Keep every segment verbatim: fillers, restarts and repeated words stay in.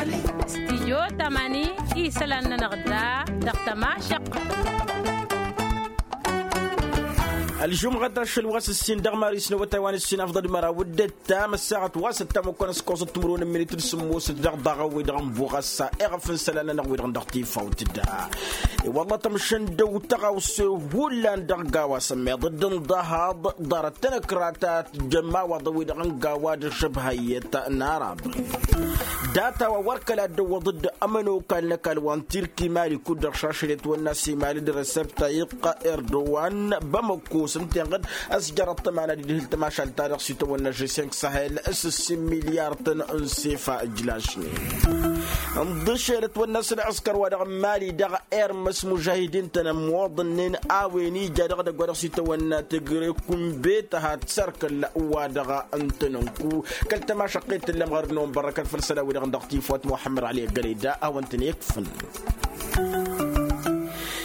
Stijo tamani isălan-nănăɣ da dăɣ-tămašăqqăt. Ălžumɣăt ašăl wa s-ǝssin dăɣ-mari s-năwătay wa n-ǝssin afḍăd măraw d-ǝttam ăssaɣăt wa s-ǝttam ăkkoăn s-kosăt timǝrwen n-minit d-sǝmmosăt dăɣ-daɣ wi-dăɣ n-buɣ ăssa iɣăf n-isălan-nănăɣ wi-dăɣ n-dăɣ-tifawt da. I-wălla tămšǝndăw tăɣawse hullan dăɣ-gawa s-ămmiḍăd n-dăhaḍ ḍarăt-tăn ăkratat d-ămawaḍăn wi-dăɣ n-gawa d-ašăbha iyyăt n-arab. Data-wa wăr kăla dd-ăwwăḍăd ămănokal n-ăkall wa n-tirki mali kud-dăɣ šašăl i-ătwănna s-imali d-resăb tayiqqa erdowan bamăkko s-ǝnta inɣăd ăsjărăḍ tămana d-idhǝl tămašalt-ta-dăɣ s-itwănna žeseng sahel s-ǝssin milyar-tăn n-sefa ǝjlašnen. Ǝnḍǝšel ătwănna s-ălɣǝskăr wa dăɣ-mali dăɣ-ermăs mužahidin-tăn ămmoḍănnen a-wen ija dăɣ-edăgg wa dăɣ-s itawănna tǝgre kunbe tăhat s-erk ălla wa dăɣ-ǝntănănku kăl-tămašăqqet tǝllăm ɣărăt n-ăwănbărrăkăn făll-isălan-wi-dăɣ n-dăɣ-tifwăt muḥămmăd ɣali ăggălăy da a-wăn-tăn-ikfǝn.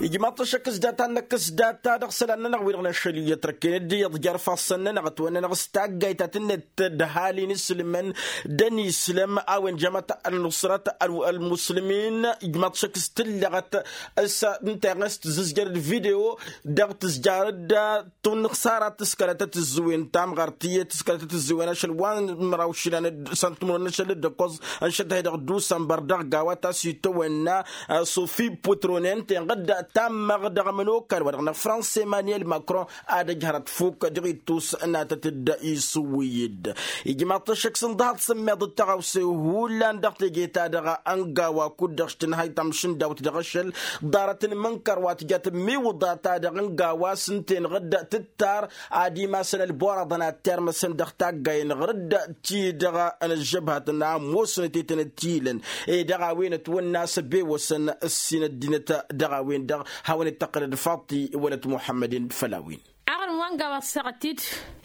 Ijmaḍ-t ăššăk s-data-năk s-data dăɣ-isălan-nănăɣ wi-dăɣ n-ašăl iyyăt răkken ăddinăt jer-ifassăn-nănăɣ ătwănnănăɣ s-taggayt ta tǝnnet d-ăhalin isǝlmăn d-ănislăm a-wen jămăt ălnusrăt ălmuslimin. Ijmaḍ-t ăššăk s-tǝllăɣăt s-ǝnta s-tǝzzǝzjăr d-video dăɣ-tǝzjarăd tunǝxsara tǝskălăt tǝzzǝwen tamɣart iyyăt tǝskălăt tǝzzǝwen ašăl wa n-măraw išilan s-ăntǝmrăwăn n-ašăl d-ăkkoẓ ănšăt-hi-dăɣ d-usănbăr dăɣ-gawa ta s-itawănna sofi putronen tenɣăd tammăɣ dăɣ-amănokal wa dăɣ-năfrăns emmanuel macron ad-ăj hărăt fuk dăɣ-ittus n-atăt-dd isǝwwǝy-dd. Ijmaḍ-t ăššăk s-ǝnḍăhăḍ s-ămmiḍăt tăɣawse hullan dăɣ-teje-ta-dăɣ ăngawa kud-dăɣ s-tǝnhăy tamšǝndawt dăɣ-ašăl ḍarăt n-imǝnkăr wa tǝja tǝmmiwǝḍa-ta-dăɣ ăngawa s-ǝnta-enăɣ dd-tǝttar ad-imasăn ălboraḍăn ad-t-irmăsăn dăɣ-taggayen ɣǝr-dd ti-dăɣ n-ăžžăbhăt n-amusnăt i-tăn-ăttilăn ed dăɣ-a-wen ătwănna a-s ăbewăsăn ǝssin ăddinăt dăɣ-a-wen-dăɣ. Hawăn-dd-tăqqǝlăd faḍti wălăt muḥămmăd-in făll-a-wen. Aɣrǝm wa n-gawa ăssaɣăt-dd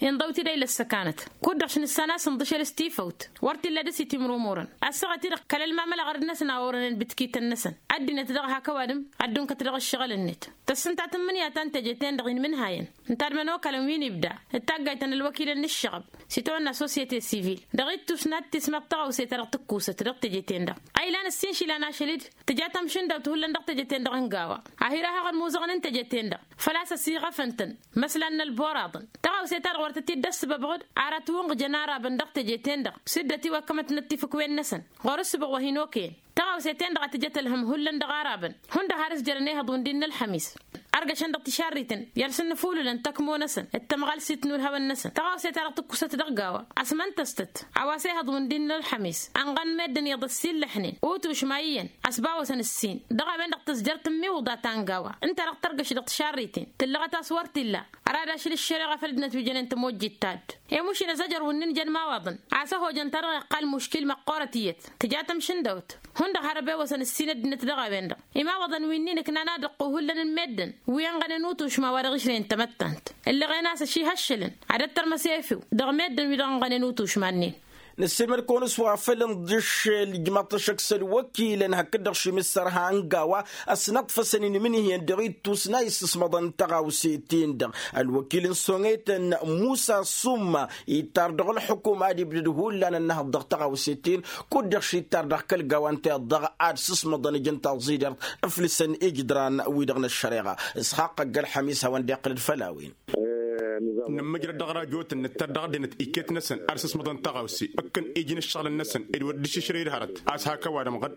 inḍăw-t-dd a ilăssăkanăt kud-dăɣ š-nǝssan a-s ǝnḍǝšel s-tifăwt wăr t-illa dăr-s itimrumurăn. Ăssaɣăt-i-dăɣ kăl-ălmamăl aɣrǝd-năsăn a orănen bǝtkităn-năsăn ăddinăt dăɣ-hak ăwadǝm ad-dd-unkăt dăɣ-ǝššăɣǝl-net. Tăssǝntat n-imǝnǝya ta n-teje-ten-dăɣ inmǝnhayăn ǝntadmăn okălăn wi n-ibda ǝttaggaytăn ălwăkilăn n-ǝššăɣăb s-itawănna sosyete sivil dăɣ-ittus n-ad-tismăḍ tăɣawse-ta-dăɣ tǝkkusăt dăɣ-teje-ten-dăɣ. A ilan ǝssin išilan ašăl-dd tǝja tamšǝndawt hullan dăɣ-teje-ten-dăɣ n-gawa. Ahir a hăɣ-ănmuzăɣăn n-teje-ten-dăɣ făl-a-s ăsiɣăfăn-tăn măslan n-ălboraḍăn. Tăɣawse-ta-dăɣ wăr tăt-dd-ăssǝbăbăɣ-dd ar ătwǝnɣǝjăn arabăn dăɣ-teje-ten-dăɣ s-dd-ătiwăkkămătnăt tifǝkwen-năsăn. Ɣur-ǝssǝbăɣ wa hin-okăyăn tăɣawse-ten-dăɣ a tǝjăt ălhăm hullan dăɣ-arabăn hundăɣ har s-jărăn ehăḍ wi n-dd-innă ălxămis. Ărgăšăn dăɣ-tišarriten i-ad-sǝnnǝfulǝlăn tăkmo-năsăn d-tămɣalsit n-ulhawăn-năsăn tăɣawse-ta-dăɣ tǝkkusăt dăɣ-gawa. Ăsmăntăstăt a-wa s-ehăḍ wi n-dd-innă ălxămis ănɣăn meddǝn iyyăḍ ăssiillăḥnen utušma iyyăn ăsbawăsăn ǝssin dăɣ-a-wen-dăɣ tǝzjăr tǝmmiwǝḍa ta n-gawa. Ǝnta-dăɣ tărgăš dăɣ-tišarriten tǝllăɣăt a-s wăr t-illa. Ărad ašăl ǝššăreɣa făll-ăddinăt wi jănen tămojjit-ta-dd. Emušin ăzăjăr wǝnnin jăn imawaḍăn a-s ăhojăn-ta-dăɣ iqqal muškil măqqoorăt iyyăt tǝja tamšǝndăwt. Hundăɣ har ăbewăsăn ǝssin ăddinăt dăɣ-a-wen-dăɣ imawaḍăn wi n-inǝknan ad-ǝqqu hullan n-meddǝn wi ănɣănen utušma wa dăɣ-išrăyăn tamăttant. Ǝllăɣen a-s ăšihăššălăn ad-ăttărmăs efew dăɣ-meddǝn wi dăɣ-ănɣănen utušma-nin. Nǝssilmăd-kăwăn s-wa făl ǝnḍǝššel ijmaḍ-t ăššăk s-ălwăkilăn hakd-dăɣ šimǝssărha n-gawa ăsnăḍfăsăn inmǝnhǝyăn dăɣ-ittus n-a issǝsmăḍăn tăɣawse-ten-dăɣ. Ălwăkil n-soŋetăn musa summa ittar dăɣ-ălxukuma ad-ibdăd hullan ănnăhăḍ dăɣ-tăɣawse-ten kud-dăɣ šittar dăɣ-kăl-gawa ǝnta iyyăḍ dăɣ-ad-sǝsmăḍăn ijăn taẓidert ǝflǝsăn ijǝdran-wi-dăɣ n-ăššăreɣa. Isxaqq ăgg-ălxămis hawăn-dd-iqqǝlăd făll-a-wen. Nǝmmǝjrăd dăɣ-rajotăn nǝttăr dăɣ-ăddinăt iket-năsăn ad-sǝsmăḍăn tăɣawse ǝkkăn iji n-ǝššăɣǝlăn-năsăn ed wăr dd-išǝšrăy d-hărăt a-s hak ăwadǝm ɣǝd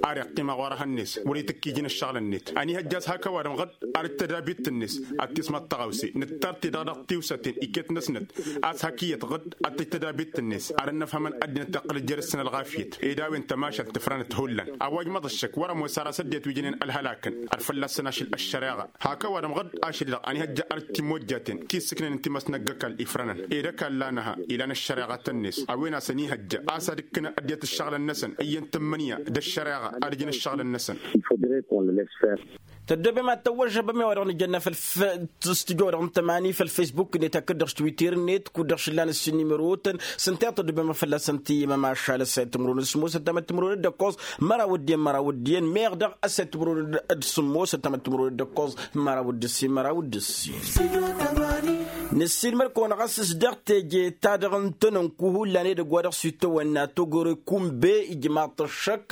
ar iqqim aɣwar ehăn-net wăr-itǝkk iji n-ǝššăɣǝl-net. Ănihăjja a-s hak ăwadǝm ɣǝd ar dd-tădabit-net ad-tismăḍ tăɣawse nǝttar-t-i-dăɣ dăɣ-tiwsaten iket-năsnăt a-s hak iyyăt ɣǝd ad-tăj tădabit-net ar ănnăfhămăn ăddinăt tăqqǝlăt jer-săn ălɣafyăt ed a-wen tămašalt tǝfrănăt hullan. A-wa ǝjmăḍ ăššăk wăr-ămoos ar a-s ăddinăt wi jănen ălhălakăn ar fălla-săn ašăl ăššăreɣa. Hak ăwadǝm ɣǝd ašăl-i-dăɣ ănihăjja ar t-timojjaten ti ǝssǝknăyăn timăsnăgg ăkall ifrănăn ed ăkall-anăha ilan ăššăreɣa-tăn-net a-wen a-s ănihăjja a-s ad-ǝkkǝnăn ăddinăt ǝššăɣǝlăn-năsăn iyyăn tǝmmǝnǝya d-ăššăreɣa ad-ǝjǝn ǝššăɣǝlăn-năsăn. Tăddobem ad-tăwwăžžăbăm i-wa-dăɣ nǝjănna făll-f-tǝstǝjo-dăɣ n-tămani făll-facebook-net hakd-dăɣ s-twitter-net kud-dăɣ šǝllan ǝssin n-imărotăn s-ǝnta i-tăddobem fălla-săn tǝyyǝmăm ašal ăssayăt timǝrwen d-sǝmmos ăttamăt timǝrwen d-ǝkkoẓ măraw d-iyyăn măraw d-iyyăn meɣ dăɣ-ăssayăt timǝrwen d-sǝmmos ăttamăt timǝrwen d-ǝkkoẓ măraw d-ǝssin măraw d-ǝssin. Năssiilmăd-kăwăn ɣas s-dăɣ teje-ta-dăɣ n-tănănku hullan edăgg wa dăɣ-s itawănna togore kumbe ijmaḍ-t ăššăk.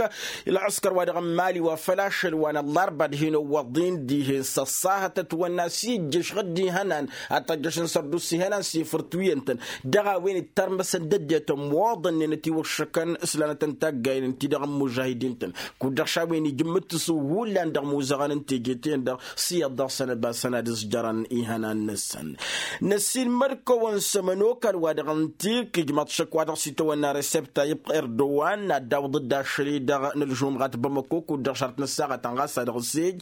Ǝlɣǝskăr wa dăɣ-n mali wa făl ašăl wa n-ăllarba d-hin-ăwwăḍ-in dihen s-ăṣṣahăt ătwănna s-ijjăš ɣǝdd ihănan ad-tăjjăšăn sărduss ihănan s-efăr twi-ǝntăn dăɣ-a-wen ittarmăsăn d-ăddinăt ămmoḍănnen ătiwăššăkăn s-lanătăn taggayen ǝnta-i-dăɣ n-mužahidin-tăn. Kud-dăɣ šawen ijǝmmǝt-t s-hullan dăɣ-imuzăɣăn n-teje-ten-dăɣ s-iyyăḍ dăɣ-săn ăbasăn ad-ǝzjărăn ihănan-năsăn. Năssiilmăd-kăwăn s-ămănokal wa dăɣ-n tirk ijmăḍ šăkk wa dăɣ-s itawănna resepta ibq erdowan ad-dawǝḍ-dd ašăl-i-dăɣ n-ălžumɣat bamăko kud-dăɣ šarăt n-ăssaɣăt ănɣas a dăɣ-s ej.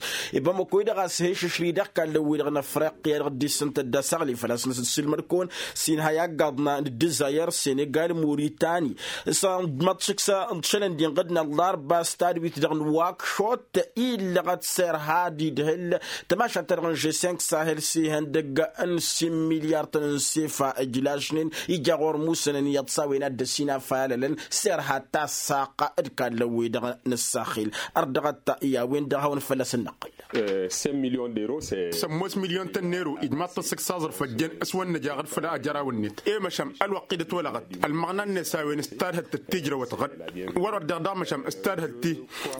Bamăko-i-dăɣ a-s he-išǝšrǝy dăɣ-kallăn-wi-dăɣ n-afriqya dăɣ-dd-issǝntăt d-asăɣli făl-a-s năsǝssilmăd-kăwăn s-inha i-aggaḍna n-dd-izayăr senegal moritan. S-ad-măḍšǝk s-ad-šălăn d-inɣǝd n-ăllarba s-tadwit-dăɣ n-wakšot illăɣăt serha d-idhǝl tămašalt-ta-dăɣ n-žesink sahel s-ihăndăgg n-sin milyar-tăn n-sefa ǝjlašnen ija ɣur-musănăn iyyăḍ s-a-wen ad-dd-ăsinafalălăn serha tassaqq d-kallăn-wi-dăɣ n-ăssaxil. Ărdăɣăt i-a-wen-dăɣ hawăn-fălla-s ǝnnăqqǝl. Sămmos milyon tăn-nero ijmaḍ-tăn sǝk s-aẓrǝf ăjjeen s-wăn năjaɣ d-făll-ajăraw-net i-măšan ălwăqq-i dd-ătwălăɣăt ălmăɣna-net a-wen s-tadhǝlt d-tijrăwăt ɣǝd. Wăr-wăr deɣ daɣ măšan s-tadhǝlt-i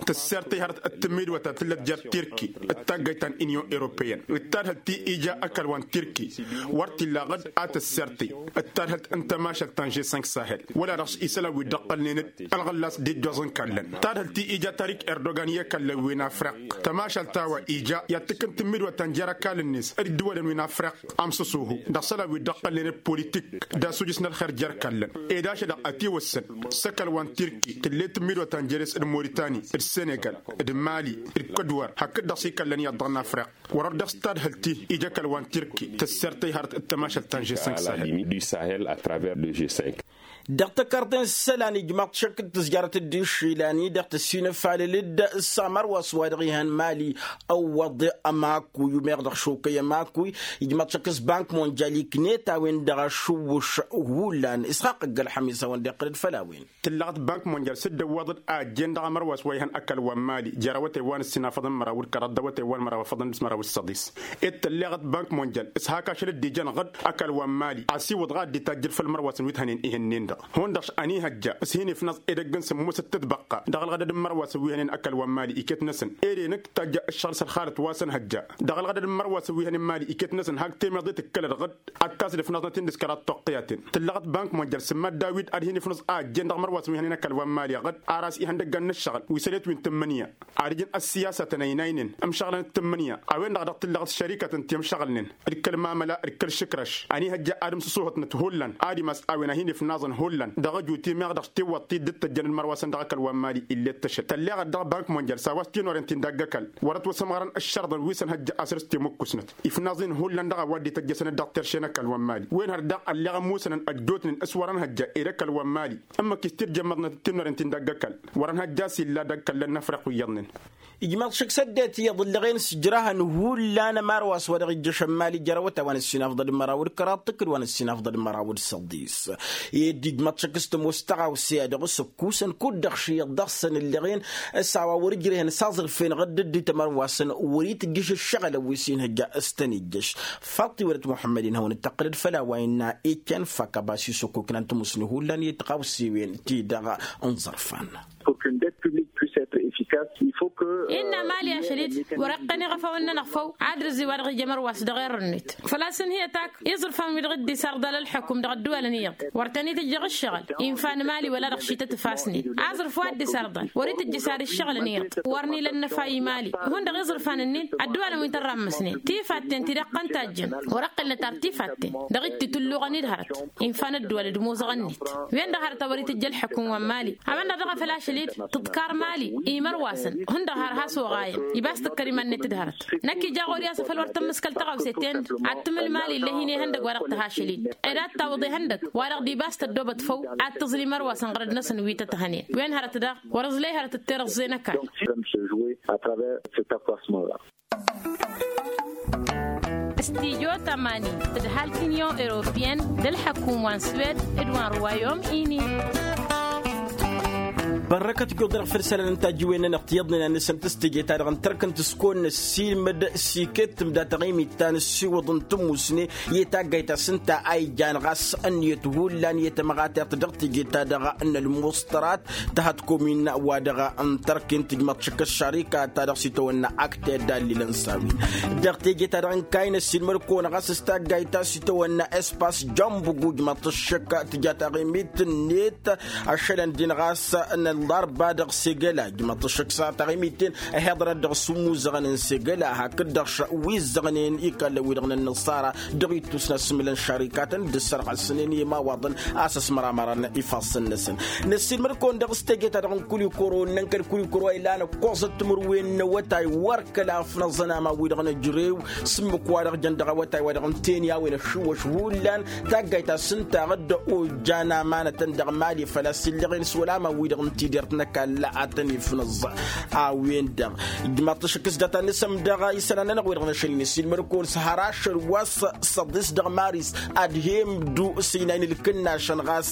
tǝsser tihărăt d-tǝmmidwăt a tǝllăt jer-tirki d-taggăyt ta n-inyon europeyăn d-tadhǝlt-i ija ăkall wa n-tirki. Wăr t-illa ɣǝd a tǝsser-ti d-tadhǝlt n-tămašalt ta n-žesink sahel wăla dăɣ-s isălan wi dd-ăqqălnen-dd ălɣăllas d-ijjoẓ n-kallăn tadhǝlt-i ija tarik erdogan i-akallăn wi n-afriq. Tămašalt a-wa ija i-ad-tǝkkǝn tǝmmidwăt ta n-jer-ăkall-net d-ǝddǝwălăn wi n-afriq amsǝsuhu dăɣ-isălan wi dd-ăqqălnen-dd politik d-asujǝs n-ălxer jer-kallăn. Ed ašăl-dăɣ ătiwăssăn s-ăkall wa n-tirki tǝll'-e tǝmmidwăt ta n-jer-s d-moritani d-senegal d-mali d-kădwar hakd-dăɣ s-ikallăn iyyăḍ dăɣ-nafriq. Wăr-ărdăɣ s-tadhǝlt-i ija ăkall wa n-tirki tǝsser tăyhărăt d-tămašalt ta n-žesink sahel. Dăɣ-tăkarḍe n-isălan ijmaḍ-t šăkk d-tǝzjarăt d-išilan-i-dăɣ tăsinăfalăl-dd s-amărwas wa dăɣ-ihăn mali. Ăwwăḍ ămakuy umeɣ dăɣ-šokăy ămakuy ijmaḍ-t šăkk s-bank monjal iknet a-wen-dăɣ ašǝwwǝš. Hullan isxaqq ăgg-ălxămis a-wen-dd-iqqǝl-dd făll-a-wen. Tǝlleɣăt bank monjal s-dd-ăwwăḍăd a ăjjeen dăɣ-amărwas wa ihăn ăkall wa n-mali jer-awătay wa n-ǝssinafăḍăn măraw d-kăraḍ d-awătay wa n-măraw afăḍăn d-s măraw d-săḍis. Ed tălleɣăt bank monjal s-hak ašăl dd-ijăn ɣǝd ăkall wa n-mali a-s iwǝḍ ɣad dd-itajjăd făll-mărwasăn wi t-hănen ihǝnnen-dăɣ. Hundăɣ-š ănihăjja s-hin-ifnaẓ edăgg n-sǝmmosăt tǝtbăqqa dăɣ-ălɣădăd n-imărwasăn wi hănen ăkall wa n-mali iket-năsăn ere-năk tajja ǝššăɣǝl s-ălxalăt wa s-ănhăjja dăɣ-ălɣădăd n-imărwasăn wi hănen mali iket-năsăn hak temeḍe tǝkkălăd ɣǝd ad-tasǝd ifnaẓnăt-in dăɣ-s kăraḍ toqqǝyaten. Tǝllăɣăt bank monjal sǝmmad dawid ad-hin-ifnǝẓ a ăjjeen dăɣ-imărwasăn wi hănen ăkall wa n-mali ɣǝd ar a-s ihăndăggan n-ǝššăɣǝl wi sălet wi n-tǝmmǝnǝya ad-ǝjǝn ăssiyasatăn ăynaynen ǝmšăɣlăn d-tǝmmǝnǝya. A-wen-dăɣ dăɣ-tǝllăɣăt šărikăt n-timšăɣǝlnen d-kăl-mamăla d-kăl-išǝkrăš ănihăjja ad-ǝmsǝsuhǝtnăt hullan ad-imas a-wen a hin-ifnaẓăn hullan dăɣ-ăju timeɣ dăɣ-s tiwwăḍt-i dd-tăjjăn d-imărwasăn dăɣ-ăkall wa n-mali. Illet tăšăl tălleɣăt dăɣ-bank monjal s-a-wa s-tinorent-in dagg-ăkall wăr-ătwăsămɣărăn ǝššărḍăn wi s-ănhăjja a săr-s timǝkkusnăt ifnaẓ-in hullan dăɣ-a-wa dd-ităjjăsăn d-dăɣ-terše n-ăkall wa n-mali. Wen hărdaɣ ălleɣ ămmusănăn ăjjootnen s-wăr-ănhăjja ed ăkall wa n-mali ǝmmǝk istǝrjămmăḍnăt d-tinorent-in dagg-ăkall wăr-ănhăjja a-s illa dăgg-kăllăn n-afriq wi iyyăḍnen. Ijmaḍ šăkk s-ăddinăt iyyăḍ ǝllăɣen s-ǝjrahăn hullan ămarwas wa dăɣ-ijjăšăn mali jer-awătay wa n-ǝssinafḍăd măraw d-kăraḍ tǝkkǝd wa n-ǝssinafḍăd măraw d-săḍis. Ed ijmaḍ šăkk s-tămoos tăɣawse-a-dăɣ s-ǝkkusăn kud-dăɣ šiyăḍ dăɣ-săn ǝllăɣen s-a-wa wăr-ǝjrehen s-aẓrǝfen ɣǝdd dd-itămărwasăn wăr-itǝjjǝš ǝššăɣǝlăn wi s-inhăjja s-tăn-ijjăš. Faḍt-iwădăt muḥămmăd-in hawăn-dd-tăqqǝlăd făll-a-wa innă ikăn fak ăbas isokoknan tămusni hullan i-tiɣawsewen-ti dăɣ-n ẓărfan. Innă mali ašăl-dd wăr-iqqăn iɣăfawăn-nănăɣ făw. Ad-rǝzi wa dăɣ-ija mărwas dăɣ-err-net făl-a-s ǝnhǝyăt ak iẓrǝfan-wi-dăɣ dd-isarḍal ălḥăkum dăɣ-ădduwalăn iyyăḍ wăr tăn-itǝjjăɣ ǝššăɣǝl. Infa n-mali wăla dăɣ-šităt ǝfasnen aẓrǝf wa dd-isarḍal wăr-itǝjj isar ǝššăɣǝlăn iyyăḍ. Wăr n-ila ănnăfa i-mali ihun dăɣ-iẓrǝfan-ǝnnin ădduwalăn wi n-tărrammăsnen tifatten ti d-iqqăn tajjăn wăr-ăqqǝlnăt ar tifatten. Dăɣ-dd-itǝlluɣăn-dd hărăt infa n-ădduwalăd imoẓăɣ-net wen-dăɣ hărăt a wăr-itǝjj ălḥăkum wa n-mali. A-wen-dăɣ daɣ a făl ašăl-dd tǝḍkar mali imărwasăn hundăɣ har has-oɣayăn ibas tǝkkăr iman-net d-hărăt. Năkk ija ɣur-i a-s a făl wăr tămmǝskăl tăɣawse-ten-dăɣ ad-tǝmǝl mali illa hin-ehăndăgg wa dăɣ-tǝha ašăl-dd ed ad-tawǝḍ ehăndăgg wa dăɣ-dd-ibas tăddobăt făw ad-tǝẓǝl imărwasăn ɣărăd-năsăn wi tăt-hănen. Wen hărăt daɣ wăr-ǝẓley hărăt d-tirǝẓẓe n-ăkall. Stijo tămani tǝdhal t-inyon europeyăn d-ălḥăkum wa n-swed d-wa n-ruwayom ini. Bărrăkăt ijodănăɣ făll-isălan n-tajǝwen-nănăɣ tiyyăḍnen ad-nǝsǝm tǝstǝje-ta-dăɣ n-tărk n-tǝskon năssiilmăd s-iket tǝmda taɣimit ta n-ǝssiwǝḍ n-tǝmmusne i-taggayt a-s ǝnta a ijan ɣas ǝnniyăt hullan i-tamăɣatert dăɣ-teje-ta-dăɣ n-ălmuṣtărat. Tăhăt komin wa dăɣ-n tărk-in tǝjmăḍ šăkk ăššarika-ta-dăɣ s-itawănna akte d-allilăn s-a-wen dăɣ-teje-ta-dăɣ n-kayna s-ilmăd-kăwăn ɣas s-taggayt ta s-itawănna espas jănbug ujmăḍ-t ăššăk tǝja taɣimit-net. Ašălăn-din ɣas n-ăllarba dăɣ-segăla ǝjmăḍ-t ăššăk s-taɣimit-ten ăhiḍărăt dăɣ-s umuzăɣăn n-segăla hakd-dăɣ wi ǝzzăɣnen ikallăn-wi-dăɣ n-ănnăṣara dăɣ-ittus n-asmǝlăn šarikatăn d-ǝssărɣăsnen i-imawaḍăn a-s ăsmăramărăn ifassăn-năsăn. Năssiilmăd-kăwăn dăɣ-s teje-ta-dăɣ n-kulikoro ǝnnăn kăl-kulikoro a ilan ǝkkoẓăt timǝrwen n-awătay wăr kăla ăfnăẓăn aman-wi-dăɣ n-ejărew s-ǝmmǝk-wa-dăɣ jăn dăɣ-awătay-wa-dăɣ n-teni a-wen ăššiwăš hullan. Taggayt ta s-ǝnta a dd-ojan amanătăn dăɣ-mali făl-a-s illeɣen s-wăla aman-wi-dăɣ n-tidert n-ăkall a tăn-ifnăẓ. A-wen-dăɣ ǝjmaḍ-t ašăk s-data n-asăm dăɣ-isălan-nănăɣ-wi-dăɣ n-ašăl-in s-ilmăd-kăwăn s-har ašăl wa s-săḍis dăɣ-maris ad-hem-dd-usǝynayǝn ǝlkǝnnašăn ɣas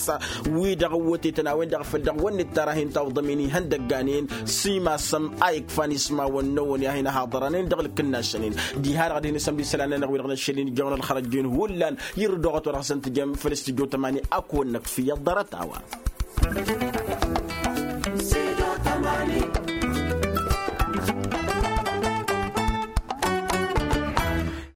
wi-dăɣ ăwwătetăn a-wen-dăɣ făl dăɣ-wănnet tarahin tawḍămen ihăndăgganen s-imasăm a ikfan ismawăn-năwăn i-ad-hin-ăhaḍărăn dăɣ-ǝlkǝnnašăn-in. Diha-dăɣ ad-hin-isăm d-isălan-nănăɣ-wi-dăɣ n-ašăl-in ǝjjăwăn ălxărăjjen hullan. Irǝd oɣăt wa dăɣ-hasăn-tǝjăm făll-s tǝjjo tămani ad-kăwăn-năkf iyyăḍ ḍarăt a-wa.